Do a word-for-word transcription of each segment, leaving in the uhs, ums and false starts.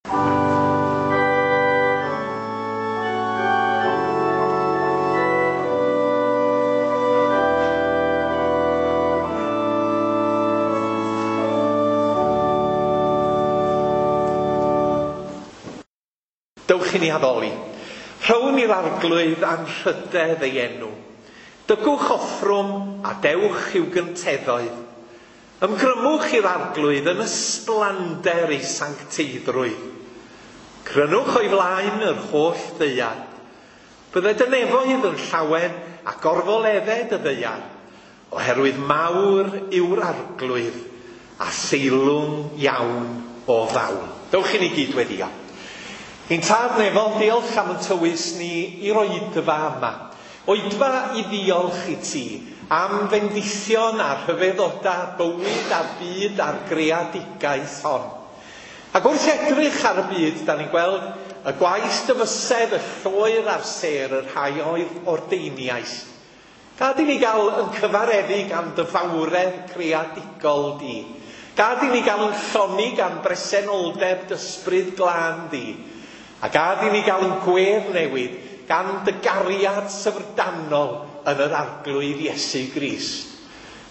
Dewch i ni addoli. Rhown i'r Arglwydd anrhydedd ei enw. Dygwch offrwm a dewch i'w gynteddoedd. Ymgrymwch i'r Arglwydd yn ysblander ei sancteiddrwydd. Crynwch o'i flaen yr holl ddaear. Bydded y nefoedd yn llawen a gorfoledded y ddaear, oherwydd mawr yw'r Arglwydd a theilwng iawn o ddawn. Dewch i ni gyd weddio. Ein Tad nefol, diolch am yn tywys ni i'r oedfa yma. Oedfa i ddiolch i ti am fendithion a rhyfeddodau bywyd a'r byd a'r greadigaeth hon. Ac wrth edrych ar y byd, da ni'n gweld y gwaith dyfysedd, y lloer a'r sêr, y rhai oedd ordeiniais. Gad i ni gael yn cyfareddu gan dy fawredd creadigol di. Gad i ni gael yn llonni gan bresenoldeb d'ysbryd glân di. A gad i ni gael yn gwedd newid gan dy gariad syfrdanol yn yr Arglwydd Iesu Grist.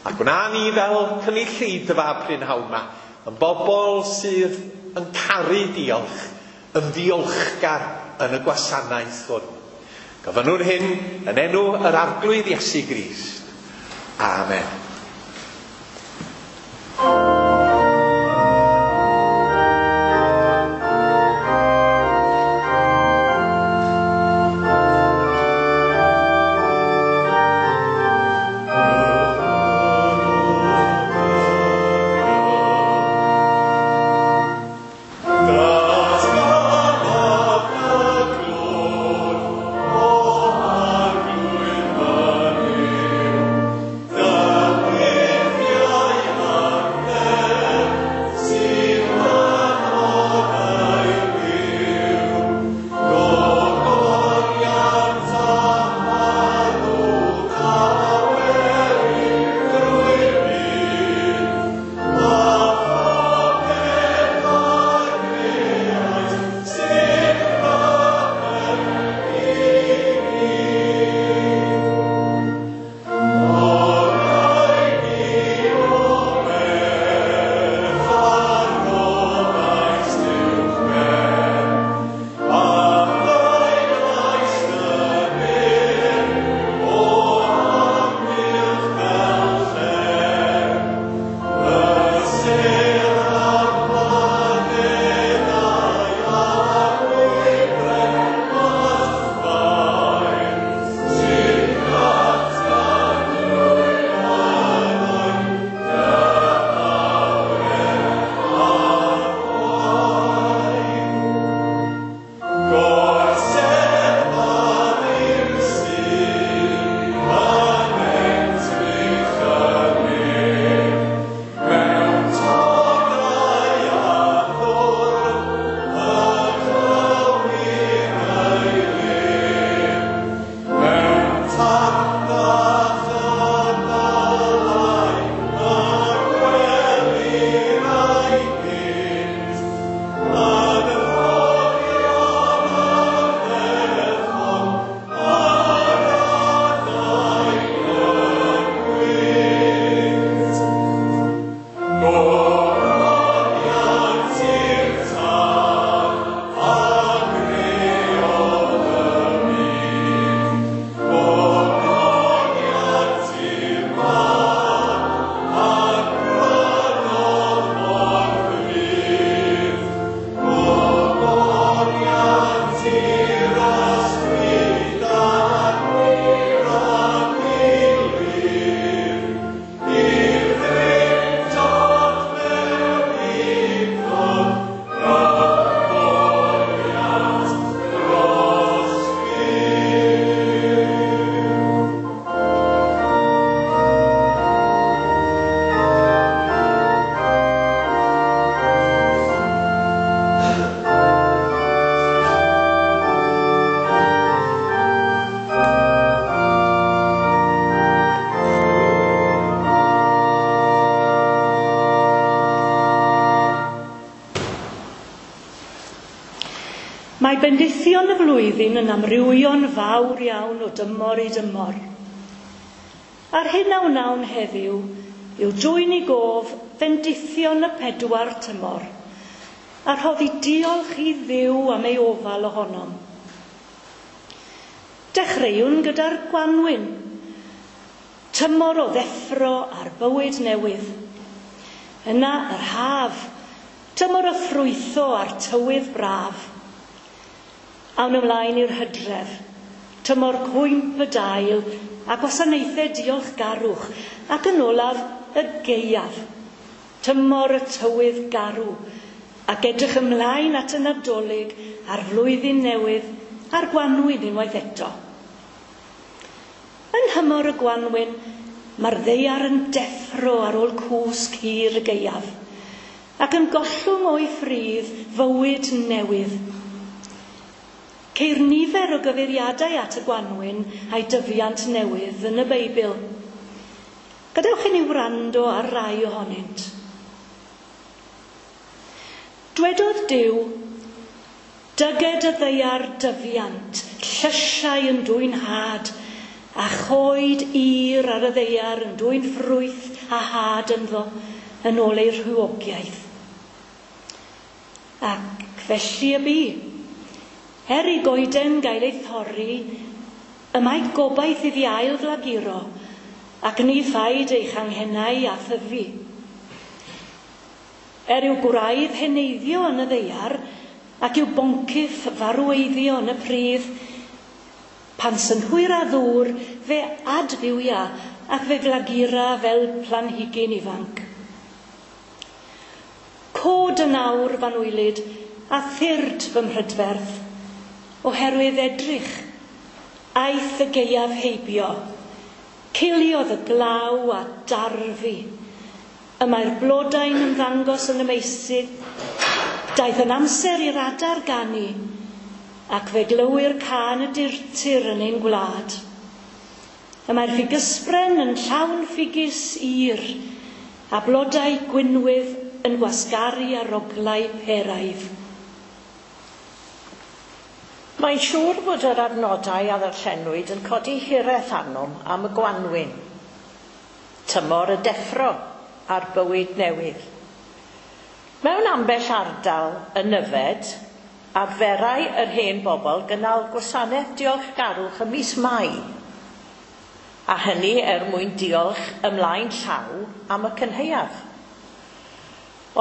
A gwna ni fel cynulleidfa prynhawn 'ma, yn bobl sydd yn caru diolch, yn ddiolchgar yn y gwasanaeth hwn. Gofynnwn hyn yn enw yr Arglwydd Iesu Grist. Amen. Lord. Mae bendithion y flwyddyn yn amrywio'n fawr iawn o dymor i dymor. A'r hyn a wnawn heddiw yw dwyn i gof bendithion y pedwar tymor, a rhoddi diolch i Dduw am ei ofal ohonom. Dechreuwn gyda'r gwanwyn, tymor o ddeffro a'r bywyd newydd. Yna yr haf, tymor o ffrwytho a'r tywydd braf. Awn ymlaen i'r hydref, tymor cwymp y dail a gwasanaethau diolchgarwch, ac yn olaf y gaeaf, tymor y tywydd garw, ac edrych ymlaen at y Nadolig a'r flwyddyn newydd a'r gwanwyn unwaith eto. Yn nhymor y gwanwyn, mae'r ddaear yn deffro ar ôl cwsg hir y gaeaf, ac yn gollwng o'i ffridd fywyd newydd. Ceir nifer o gyfeiriadau at y gwanwyn a'i dyfiant newydd yn y Beibl. Gadewch i ni wrando ar rai ohonynt. Dwedodd Duw, dyged y ddaear dyfiant, llysiau yn dwyn had, a choed ur ar y ddaear yn dwyn ffrwyth a had ynddo yn ôl ei rhywogiaeth. Ac felly y bu. Er i goeden gael ei thorri, y mae gobaith iddi ail flaguro, ac ni phaid ei changhennau a thyfu. Er i'w gwraidd heneiddio yn y ddaear, ac i'w boncyff farweiddio yn y pridd, pan synhwyr a ddŵr, fe adfywia ac fe flagura fel planhigyn ifanc. Cod yn awr fanwylyd a thyrd fy mhrydferth, oherwydd edrych, aeth y gaeaf heibio, ciliodd y glaw a darfu. Y mae'r blodau'n ymddangos yn y meysydd, daeth yn amser i'r adar ganu, ac fe glywir cân y durtur yn ein gwlad. Y mae'r ffigysbren yn llawn ffigys ir, a blodau gwynwydd yn gwasgaru ar oglau peraidd. Mae'n siŵr bod yr adnodau a ddarllenwyd yn codi hiraeth arnom am y gwanwyn, tymor y deffro a'r bywyd newydd. Mewn ambell ardal yn Nyfed, arferai yr hen bobl gynnal gwasanaeth diolchgarwch ym mis Mai, a hynny er mwyn diolch ymlaen llaw am y cynhaeaf.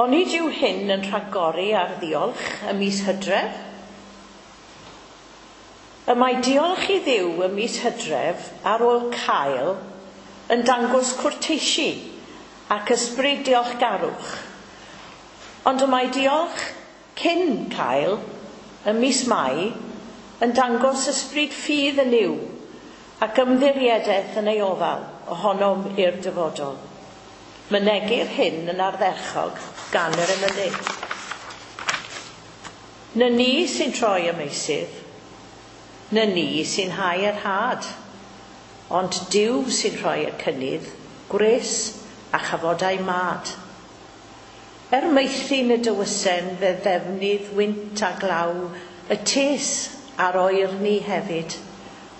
Onid yw hyn yn rhagori ar ddiolch ym mis Hydref? Y mae diolch i Dduw ym mis Hydref ar ôl cael yn dangos cwrteisi ac ysbryd diolchgarwch. Ond y mae diolch cyn cael ym mis Mai yn dangos ysbryd ffydd yn Nuw ac ymddiriedaeth yn ei ofal ohonom i'r dyfodol. Mynegir hyn yn ardderchog gan yr emynydd. Na ni sy'n troi y meysydd, na ni sy'n hau yr had, ond Duw sy'n rhoi y cynnydd, gwres a chafodau mad. Er meithrin y dywysen fe ddefnydd wynt a glaw, y tes a'r oerni hefyd,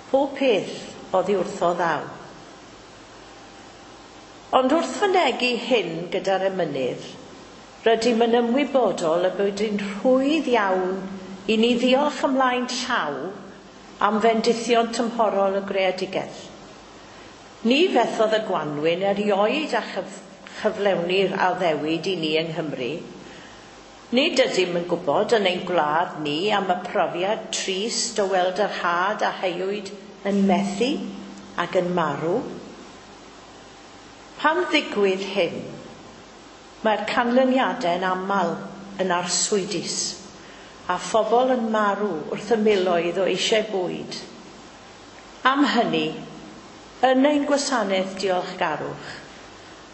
pob peth oddi wrtho ddaw. Ond wrth fynegi hyn gyda'r emynydd, rydym yn ymwybodol y bod yn rhwydd iawn i ni ddiolch ymlaen llaw am fendithion tymhorol y greadigaeth. Ni fethodd y gwanwyn erioed a chyf chyflewni'r addewid i ni yng Nghymru. Nid ydym yn gwybod yn ein gwlad ni am y profiad trist o weld yr had a heuwyd yn methu ac yn marw. Pan ddigwydd hyn, mae'r canlyniadau'n aml yn arswydus, a phobl yn marw wrth y miloedd o eisiau bwyd. Am hynny, yn ein gwasanaeth diolchgarwch,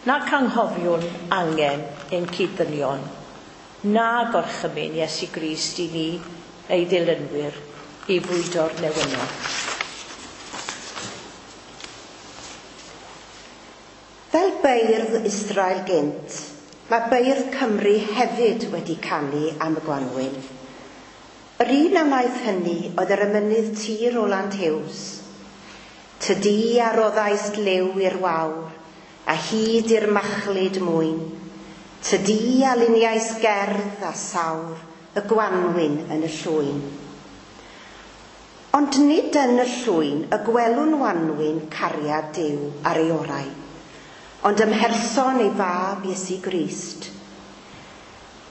nac anghofiwn angen ein cyd-ddynion, na gorchymyn Iesu Grist i ni, ei ddilynwyr, i fwydo'r newynog. Fel beirdd Israel gynt, mae beirdd Cymru hefyd wedi canu am y gwanwyn. Yr un a wnaeth hynny oedd yr emynydd T. Roland Hughes. Tydi a roddaist liw i'r wawr, a hyd i'r machlud mwyn. Tydi a luniais gerdd a sawr, y gwanwyn yn y llwyn. Ond nid yn y llwyn y gwelwn wanwyn cariad Duw ar ei orau, ond ym mherson ei fab Iesu Grist.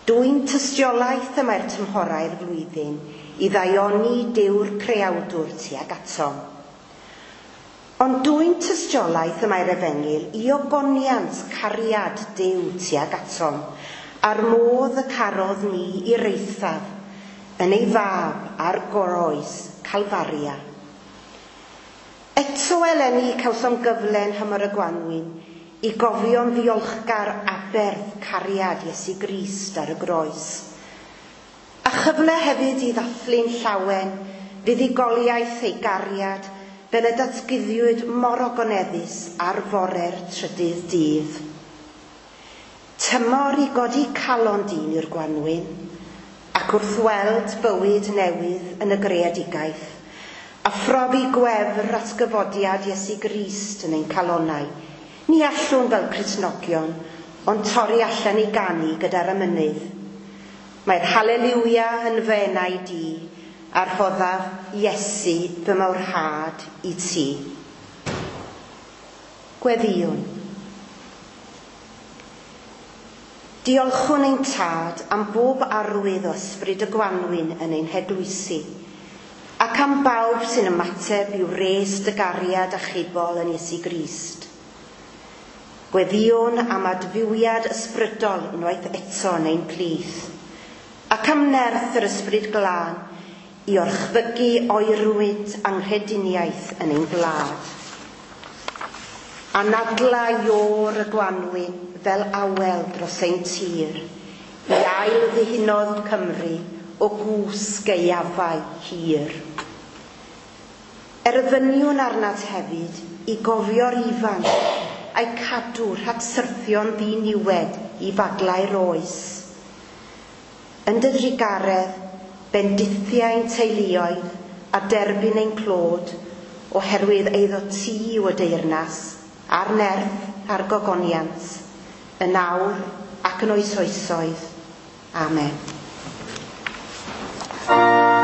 Dwyn tystiolaeth y mae'r tymhorau'r flwyddyn i ddaioni Duw'r creawdwr tuag atom. Ond dwyn tystiolaeth y mae'r efengyl i ogoniant cariad Duw tuag atom, a'r modd y carodd ni i'r eithaf yn ei fab a'r groes Calfaria. Eto eleni cawsom gyfle yn nhymor y gwanwyn i gofio'n ddiolchgar aberth cariad Iesu Grist ar y groes. A chyfle hefyd i ddathlu'n llawen fuddugoliaeth ei gariad fel y datguddiwyd mor ogoneddus ar fore'r trydydd dydd. Tymor i godi calon dyn i'r gwanwyn, ac wrth weld bywyd newydd yn y greadigaeth, a phrofi gwefr atgyfodiad Iesu Grist yn ein calonnau, ni allwn fel Cristnogion, ond torri allan i ganu gyda'r emynydd. Mae'r haleliwia yn fy enau di, a rhoddaf Iesu fy mawrhad i ti. Gweddïwn. Diolchwn ein tad am bob arwydd o ysbryd y gwanwyn yn ein heglwysi, ac am bawb sy'n ymateb i'w res dy gariad achubol yn Iesu Grist. Gweddïwn am adfywiad ysbrydol unwaith eto yn ein plith, ac am nerth yr ysbryd glân i orchfygu oerwyd anghrediniaeth yn ein gwlad. Anadla iôr y gwanwyn fel awel dros ein tir, i ail ddihunodd Cymru o gwsg gaeafau hir. Erfyniwn arnat hefyd i gofio'r ifanc a'i cadw rhag syrthio'n ddiniwed i faglau'r oes. Yn dy drugaredd, bendithiau'n teuluoedd a derbyn ein clod, oherwydd eiddo ti yw y deyrnas, a'r nerth a'r gogoniant, yn awr ac yn oes oesoedd. Amen. Sydd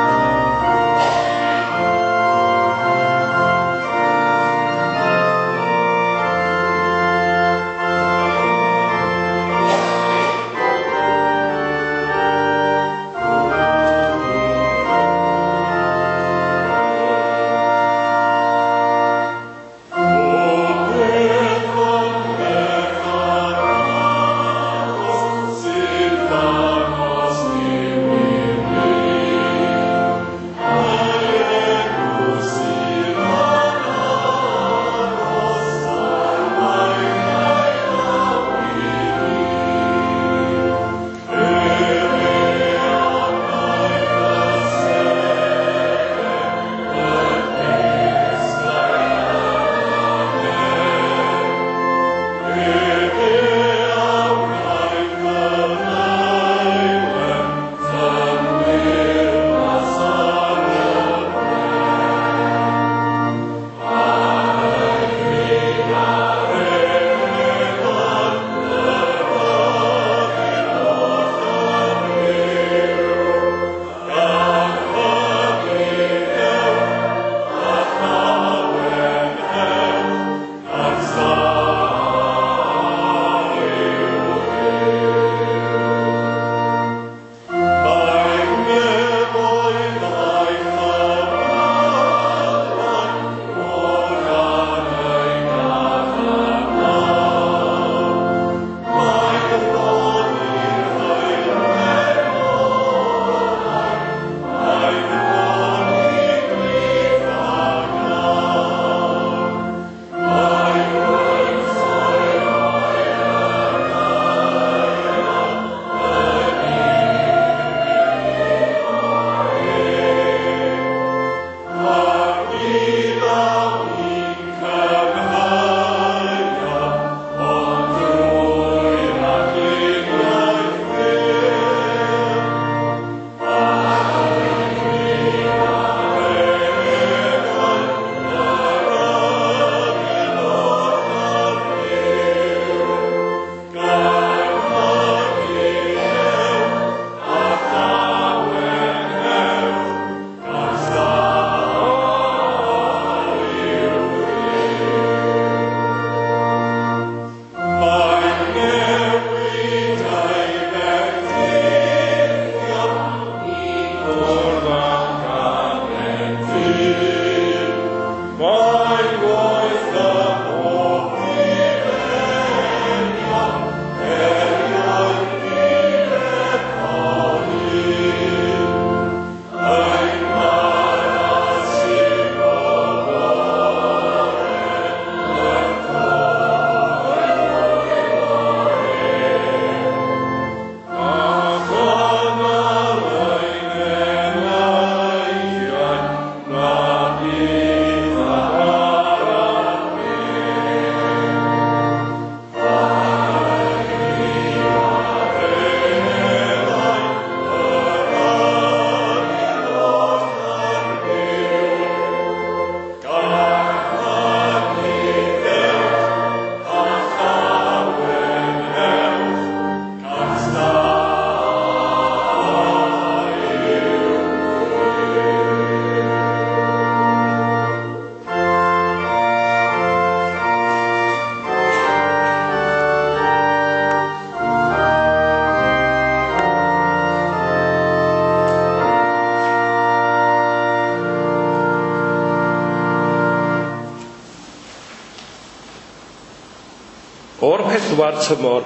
O'r pedwar tymor,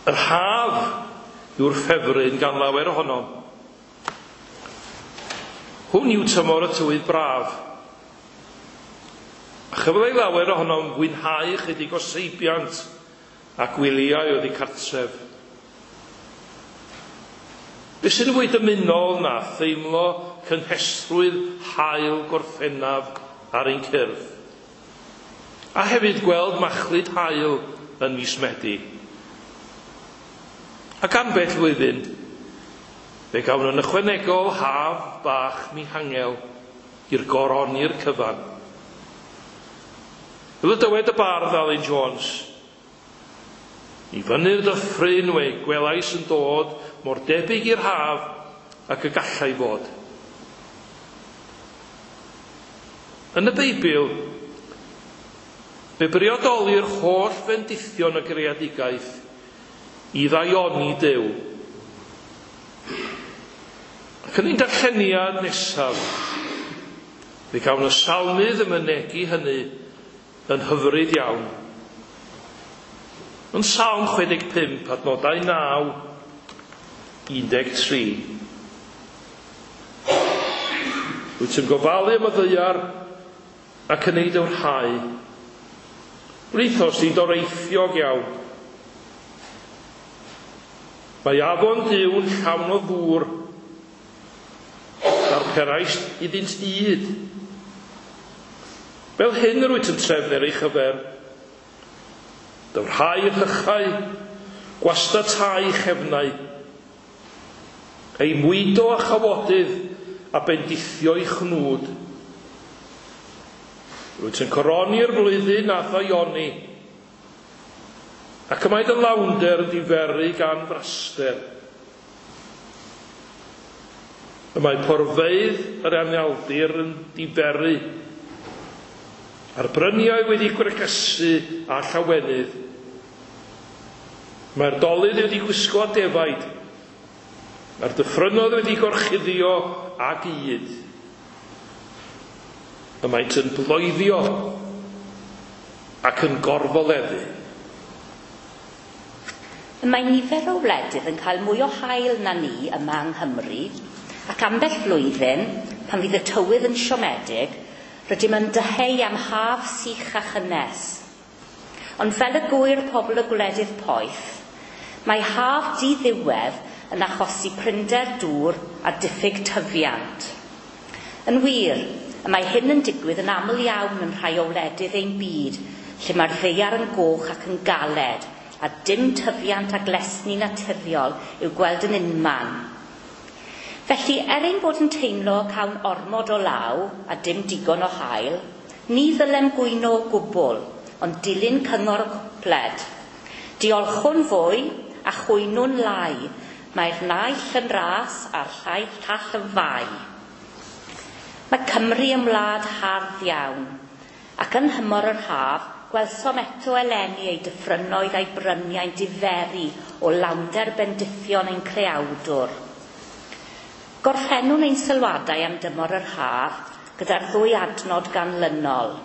yr haf yw'r ffefryn gan lawer ohonom. Hwn yw tymor y tywydd braf. A chyfle i lawer ohonom fwynhau chydig o seibiant a gwyliau oddi cartref. Be sy'n fwy dymunol na theimlo cynhesrwydd haul Gorffennaf ar ein cyrff? A hefyd gweld machlud haul yn mis Medi. Ac ambell flwyddyn, fe gawn yn ychwanegol haf bach mihangel i'r goroni'r cyfan. Fel y dywed y bardd Alun Jones, i fyny'r dyffryn we gwelais yn dod mor debyg i'r haf ac y gallai fod. Yn y Beibl, fe briodolir holl fendithion y greadigaeth i ddaioni Duw. Ac yn ein darlleniad nesaf, fe gawn y salmydd yn mynegi hynny yn hyfryd iawn. Yn Salm chwe deg pump, adnodau naw, un deg tri. Wyt ti'n gofalu am y ddaear ac yn ei dywrhau. Wnaethos di doreithiog iawn. Mae afon Duw'n llawn o ddŵr, darperais iddynt ŷd. Fel hyn yr wyt yn trefnu ar ei chyfer. Dywrhau rhychau, gwastatau chefnau, ei mwydo a chawodydd a bendithio ei chnwd. Rwyt yn coroni'r flwyddyn a ddaioni, ac y mae dy lawnder yn diferu gan fraster. Y mae porfeydd yr anialdir yn diferu, a'r bryniau wedi gwregysu a llawenydd. Mae'r dolydd wedi gwisgo â defaid, mae'r dyffrynnoedd wedi gorchuddio ag ŷd. Y maent yn bloeddio ac yn gorfoleddu. Y mae nifer o wledydd yn cael mwy o haul na ni yma yng Nghymru, ac ambell flwyddyn, pan fydd y tywydd yn siomedig, rydym yn dyheu am haf sych a chynnes. Ond fel y gŵyr pobl y gwledydd poeth, mae haf diddiwedd yn achosi prinder dŵr a diffyg tyfiant. Yn wir, y mae hyn yn digwydd yn aml iawn yn rhai o wledydd ein byd, lle mae'r ddaear yn goch ac yn galed, a dim tyfiant a glesni naturiol i'w gweld yn unman. Felly, er ein bod yn teimlo cawn ormod o law a dim digon o haul, ni ddylem gwyno o gwbl, ond dilyn cyngor y cwpled. Diolchwn fwy a chwynwn lai, mae'r naill yn ras a'r llai llall yn fai. Mae Cymru yn wlad hardd iawn, ac yn nhymor yr haf, gwelsom eto eleni ei dyffrynnoedd a'i bryniau'n diferu o lawnder bendithion ein creawdwr. Gorffennwn ein sylwadau am dymor yr haf gyda'r ddwy adnod ganlynol.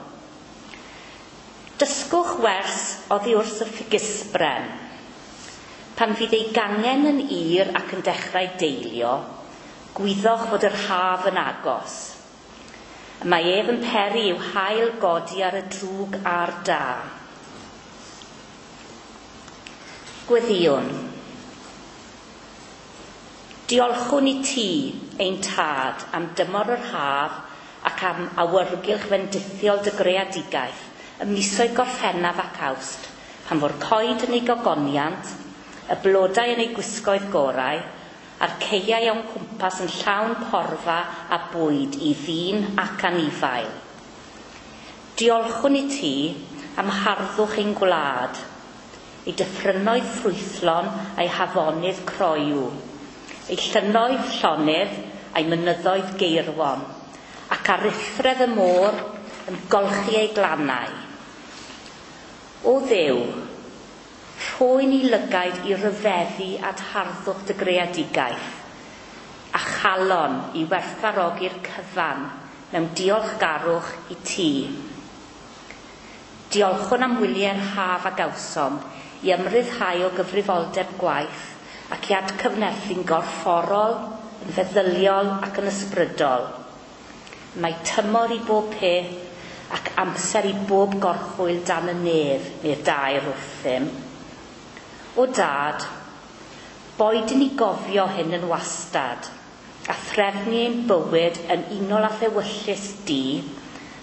Dysgwch wers oddi wrth y ffigysbren. Pan fydd ei gangen yn ir ac yn dechrau deilio, gwyddoch fod yr haf yn agos. Mae ef yn peri i'w haul godi ar y drwg a'r da. Gweddïwn. Diolchwn i ti, ein tad, am dymor yr haf ac am awyrgylch fendithiol dy greadigaeth, y misoedd Gorffennaf ac Awst, pan fo'r coed yn ei gogoniant, y blodau yn eu gwisgoedd gorau, a'r ceiau o'n cwmpas yn llawn porfa a bwyd i ddyn ac anifail. Diolchwn i ti am harddwch ein gwlad, ei dyffrynnoedd ffrwythlon a'i hafonydd croyw, ei llynnoedd llonydd a'i mynyddoedd geirwon, ac aruthredd y môr yn golchi ei glannau. O Dduw, rhoi ni lygaid i ryfeddu at harddwch dy greadigaeth, a chalon i werthfawrogi'r cyfan mewn diolchgarwch i ti. Diolchwn am wyliau'r haf a gawsom i ymryddhau o gyfrifoldeb gwaith ac i adcyfnerthu'n gorfforol, yn feddyliol ac yn ysbrydol. Mae tymor i bob peth ac amser i bob gorchwyl dan y nef neu'r dair wrthym. O dad, boed i ni gofio hyn yn wastad, a threfnu ein bywyd yn unol â thewyllys di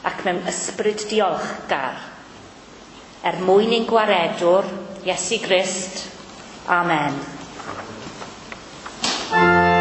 ac mewn ysbryd diolchgar. Er mwyn ein gwaredwr, Iesu Grist. Amen. Oh.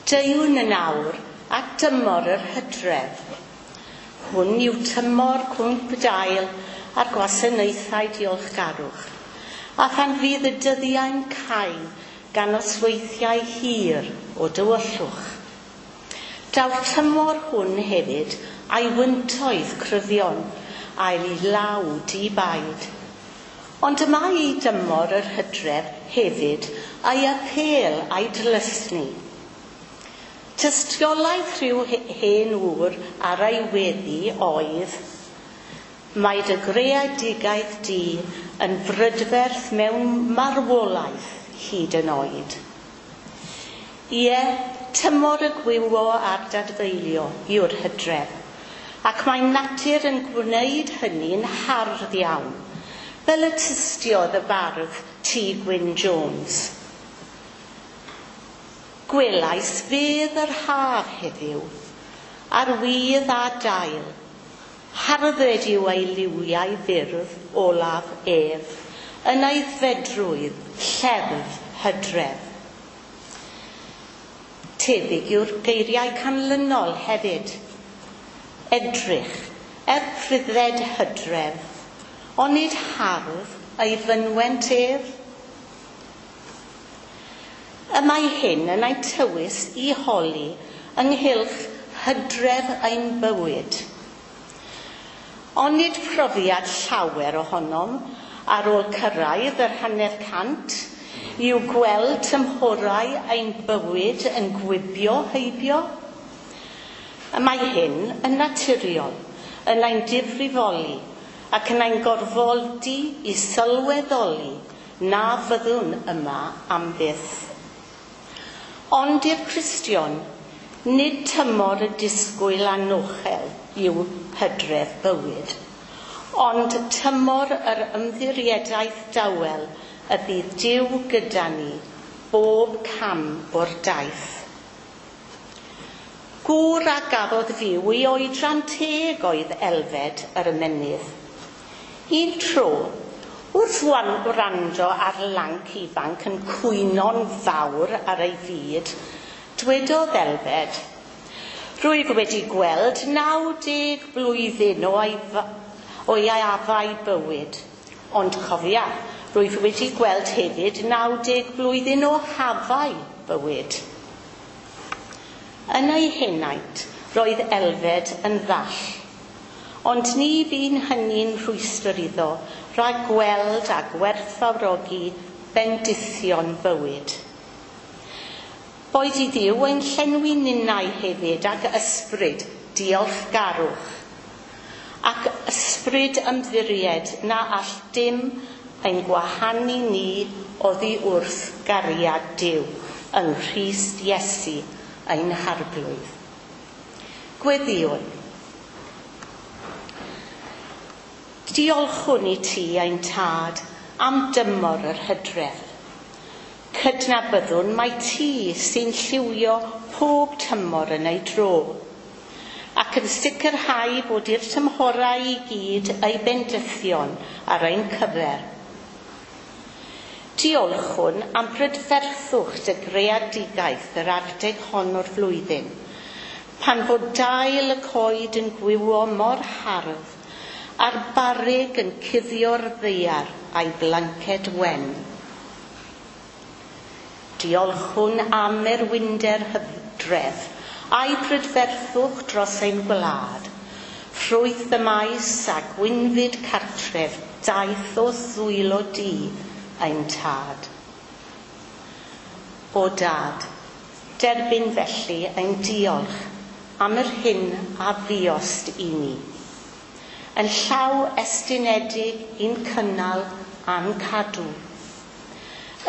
Deuwn yn awr at dymor yr hydref. Hwn yw tymor cwmp dail a'r gwasanaethau diolchgarwch, a phan fydd y dyddiau'n cau gan nosweithiau hir o dywyllwch. Daw'r tymor hwn hefyd a'i wyntoedd cryfion a'i law di-baid. Ond y mae ei dymor yr hydref hefyd a'i apêl a'i dlysni. Tystiolaeth rhyw hen ŵr ar ei weddi oedd, mae dy greadigaeth di yn brydferth mewn marwolaeth hyd yn oed. Ie, tymor y gwywo a'r dadfeilio yw'r hydref, ac mae natur yn gwneud hynny'n hardd iawn, fel y tystiodd y bardd T. Gwyn Jones. Gwelais fedd yr haf heddiw, ar wydd a dail, hardded yw ei liwiau fyrdd olaf ef, yn ei fedrwydd lleddf hydref. Tebyg yw'r geiriau canlynol hefyd. Edrych, er prydded hydref, onid hardd ei fynwent ef? Y mae hyn yn ein tywys i holi ynghylch hydref ein bywyd. Onid profiad llawer ohonom ar ôl cyrraedd yr hanner cant yw gweld tymhorau ein bywyd yn gwibio heibio? Y mae hyn yn naturiol, yn ein difrifoli ac yn ein gorfodi i sylweddoli na fyddwn yma am byth. Ond i'r Cristion, nid tymor y disgwyl anochel yw hydref bywyd, ond tymor yr ymddiriedaeth dawel y bydd Duw gyda ni bob cam o'r daith. Gŵr a gafodd fyw i oedran teg oedd Elfed yr ymennydd. Un tro, wrth wrando ar lanc ifanc yn cwyno'n fawr ar ei fyd, dwedodd Elfed, rwyf wedi gweld naw deg blwyddyn o'i afau bywyd, ond cofia, rwyf wedi gweld hefyd naw deg blwyddyn o hafau bywyd. Yn ei henaint, roedd Elfed yn ddall, ond ni fu'n hynny'n rhwystr iddo rhag gweld a gwerthfawrogi bendithion bywyd. Boed i Dduw ein llenwi ninnau hefyd ag ysbryd diolchgarwch, ac ysbryd ymddiried na all dim ein gwahanu ni oddi wrth gariad Duw yng Nghrist Iesu ein Harglwydd. Gweddïwn. Diolchwn i ti ein tad am dymor yr hydref. Cydnabyddwn mai ti sy'n lliwio pob tymor yn ei dro, ac yn sicrhau bod i'r tymhorau i gyd ei bendithion ar ein cyfer. Diolchwn am brydferthwch dy greadigaeth yr adeg hon o'r flwyddyn, pan fod dail y coed yn gwywo mor hardd, a'r barrug yn cuddio'r ddaear a'i blanced wen. Diolchwn am erwinder hydref a'i prydferthwch dros ein gwlad, ffrwyth y maes a gwynfyd cartref daeth o ddwylo di ein tad. O dad, derbyn felly ein diolch am yr hyn a fuost i ni, yn llaw estynedig i'n cynnal a'n cadw,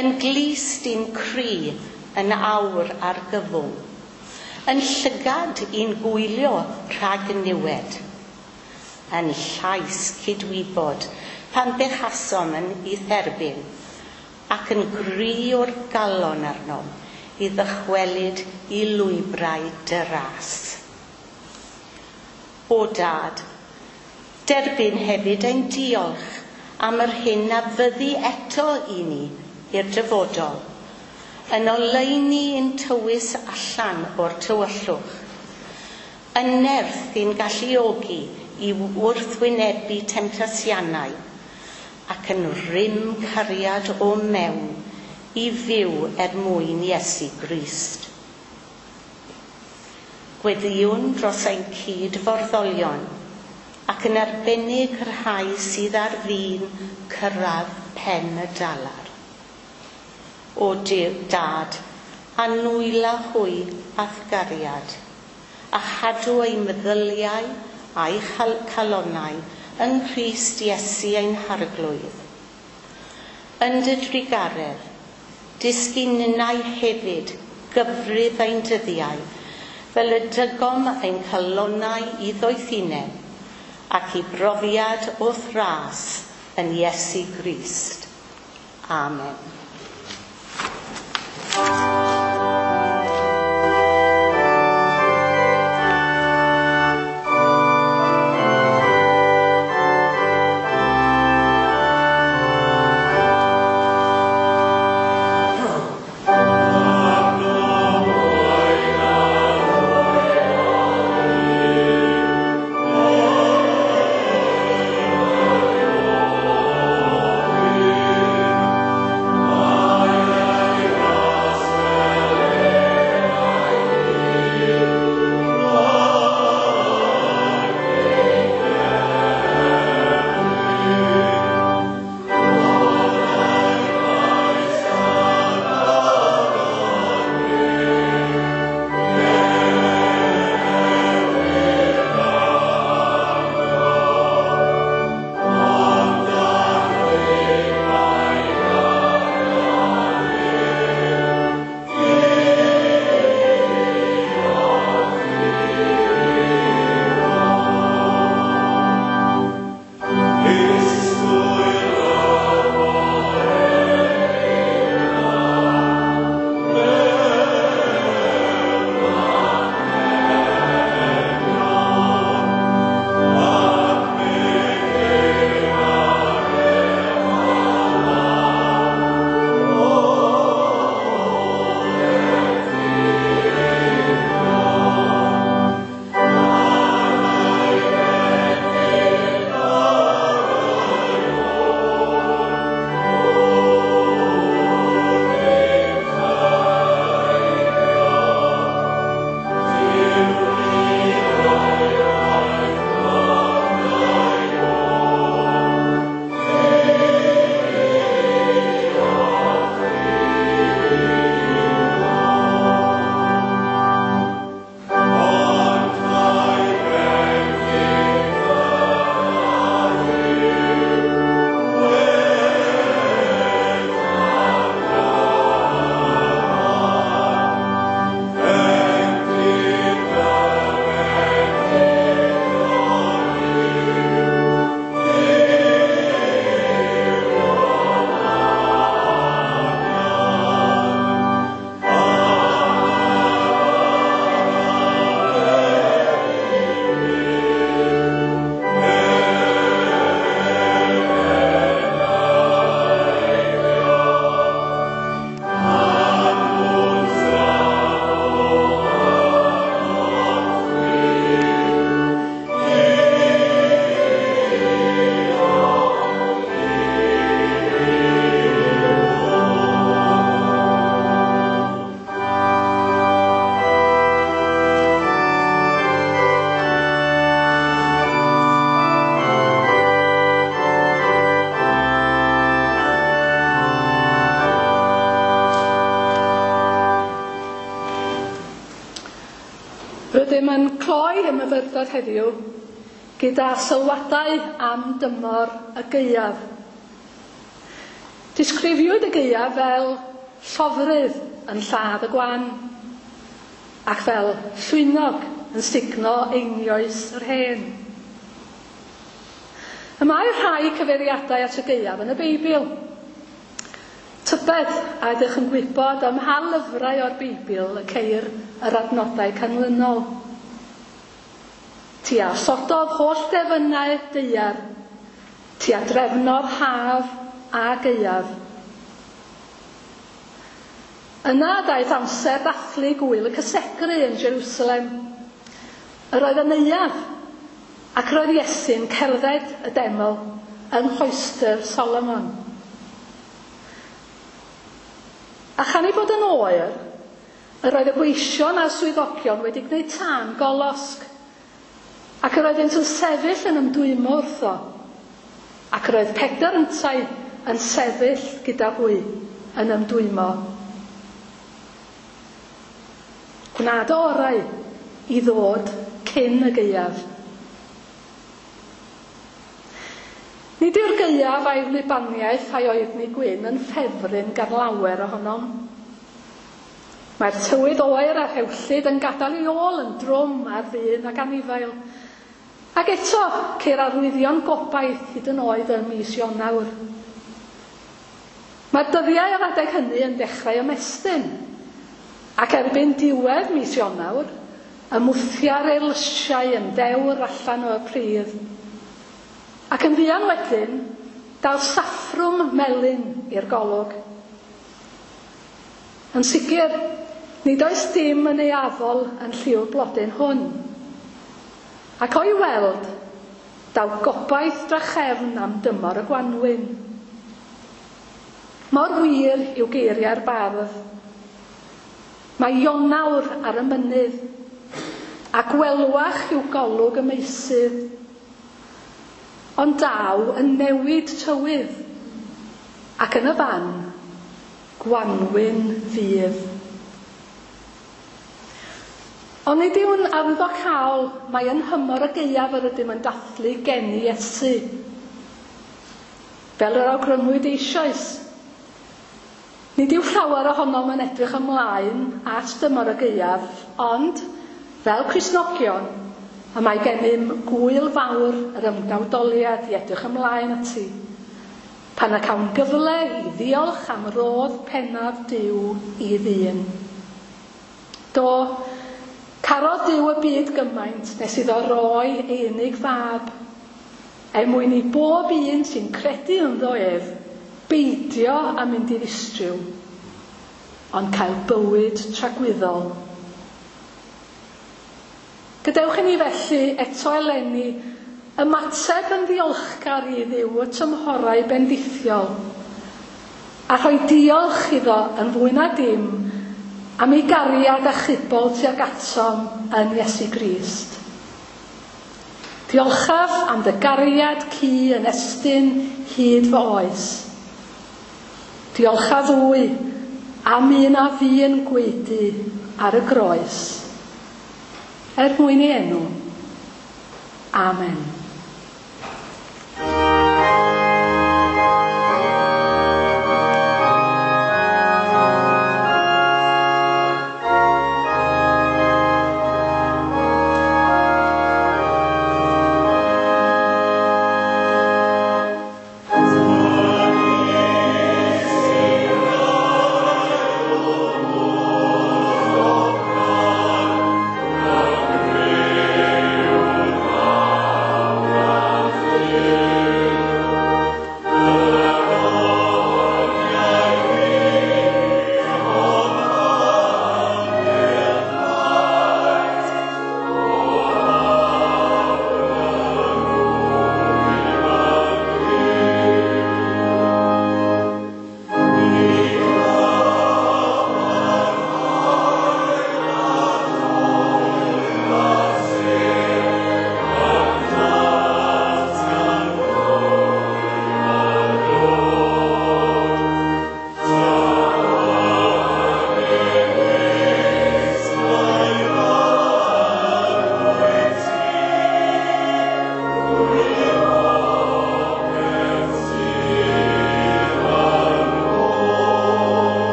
yn glust i'n cri yn awr ar gyfwng, yn llygad i'n gwylio rhag niwed, yn llais cydwybod pan bechasom yn ei dderbyn, ac yn gri o'r galon arnom i ddychwelyd i lwybrau dy ras. O dad, derbyn hefyd ein diolch am yr hyn a fyddi eto i ni i'r dyfodol, yn oleuni i'n tywys allan o'r tywyllwch, yn nerth i'n galluogi i wrthwynebu temtasianau ac yn rym cariad o mewn i fyw er mwyn Iesu Grist. Gweddïwn dros ein cydforddolion ac yn arbennig y rhai sydd ar fin cyrraedd pen y dalar. O Dad, anwyla hwy a'th gariad, a chadw eu meddyliau a'i calonnau yng Nghrist Iesu ein Harglwydd. Yn dy drugaredd, dysgu ninnau hefyd gyfrif ein dyddiau, fel y dygom ein calonnau i ddoethineb ac i brofiad o'th ras yn Iesu Grist. Amen. Rydym yn cloi y myfyrdod heddiw gyda sylwadau am dymor y gaeaf. Disgrifiwyd y gaeaf fel llofrudd yn lladd y gwan ac fel llwynog yn sugno einioes yr hen. Y mae rhai cyfeiriadau at y gaeaf yn y Beibl. Tybed a ydych yn gwybod am ha lyfrau o'r Beibl y ceir yr adnodau canlynol. Ti a osododd holl defynnau daear, ti a drefnodd haf a gaeaf. Yna daeth amser dathlu gwyl y cysegru yn Jerusalem. Yr oedd yn neuadd, ac roedd Iesu'n cerdded y deml yng nghoestr Solomon. A chan ei bod yn oer, yr oedd y gweision a'r swyddogion wedi gwneud tân golosg, ac yr oeddynt yn sefyll yn ymdwymo wrtho, ac yr oedd Pedr yntau yn sefyll gyda hwy yn ymdwymo. Gwna dy orau i ddod cyn y gaeaf. Nid yw'r gaeaf a'i wlybaniaeth a'i oerni gwyn yn ffefryn gan lawer ohonom. Mae'r tywydd oer a rhewllyd yn gadael ei ôl yn drwm ar ddyn ac anifail. Ac eto, ceir arwyddion gobaith hyd yn oed ym mis Ionawr. Mae'r dyddiau ar adeg hynny yn dechrau ymestyn, ac erbyn diwedd mis Ionawr, ymwthia'r eirlysiau yn ddewr allan o'r pridd. Ac yn fuan wedyn, daw'r saffrwm melyn i'r golwg. Yn sicr, nid oes dim yn eiafol yn lliw'r blodyn hwn. Ac o'i weld, daw gobaith drachefn am dymor y gwanwyn. Mor wir yw geiriau'r bardd. Mae Ionawr ar y mynydd, a gwelwach yw golwg y meysydd. Ond daw yn newid tywydd, ac yn y fan, gwanwyn fydd. Ond nid yw'n arwyddocaol mai yn nhymor y gaeaf yr ydym yn dathlu geni Iesu. Fel yr awgrymwyd eisoes, nid yw llawer ohonom yn edrych ymlaen at dymor y gaeaf, ond, fel Cristnogion, y mae gennym gwyl fawr yr ymgnawdoliad i edrych ymlaen ati, pan y cawn gyfle i ddiolch am rodd pennaf Duw i ddyn. Do, carodd Duw y byd gymaint nes iddo roi ei unig fab, er mwyn i bob un sy'n credu ynddo ef beidio â mynd i ddistryw, ond cael bywyd tragwyddol. Gadewch i ni felly eto eleni ymateb yn ddiolchgar i Dduw y tymhorau bendithiol, a rhoi diolch iddo yn fwy na dim am ei gariad achubol tuag atom yn Iesu Grist. Diolchaf am dy gariad cu yn estyn hyd fy oes. Diolchaf fwy am un a fu'n gwaedu ar y groes. Er mwyn ei enw. Amen. Oh,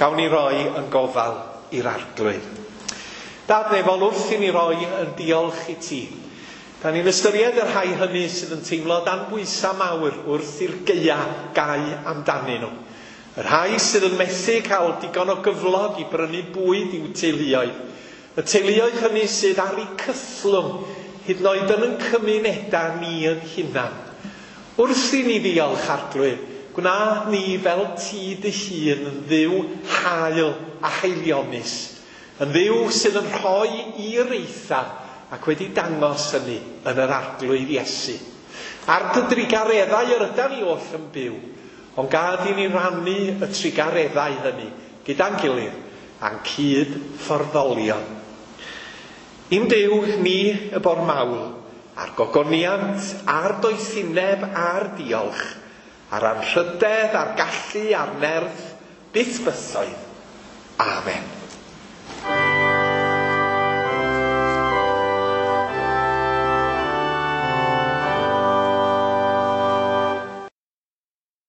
Gawn ni roi yn gofal i'r Arglwydd. Dad nefol, wrth i ni roi yn diolch i ti. Da ni'n ystyried y rhai hynny sydd yn teimlo dan bwysau mawr wrth i'r gaea gau amdanyn nhw. Y rhai sydd yn methu cael digon o gyflog i brynu bwyd i'w teuluoedd. Y teuluoedd hynny sydd ar eu cythlwng, hyd yn oed yn ein cymunedau ni yn hunan. Wrth i ni ddiolch, Arglwydd, gwna ni fel ti dy hun yn Dduw hael a haelionus, yn Dduw sydd yn rhoi i'r eitha ac wedi dangos hynny yn yr Arglwydd Iesu. Ar dy drugareddau yr ydan ni oll yn byw, ond gad i ni rannu y trugareddau hynny gyda'n gilydd a'n cyd fforddolion. I'n Duw ni y bo'r mawl, a'r gogoniant, a'r doethineb, a'r diolch, a'r anrhydedd, a'r gallu, a'r nerth, byth bythoedd. Amen.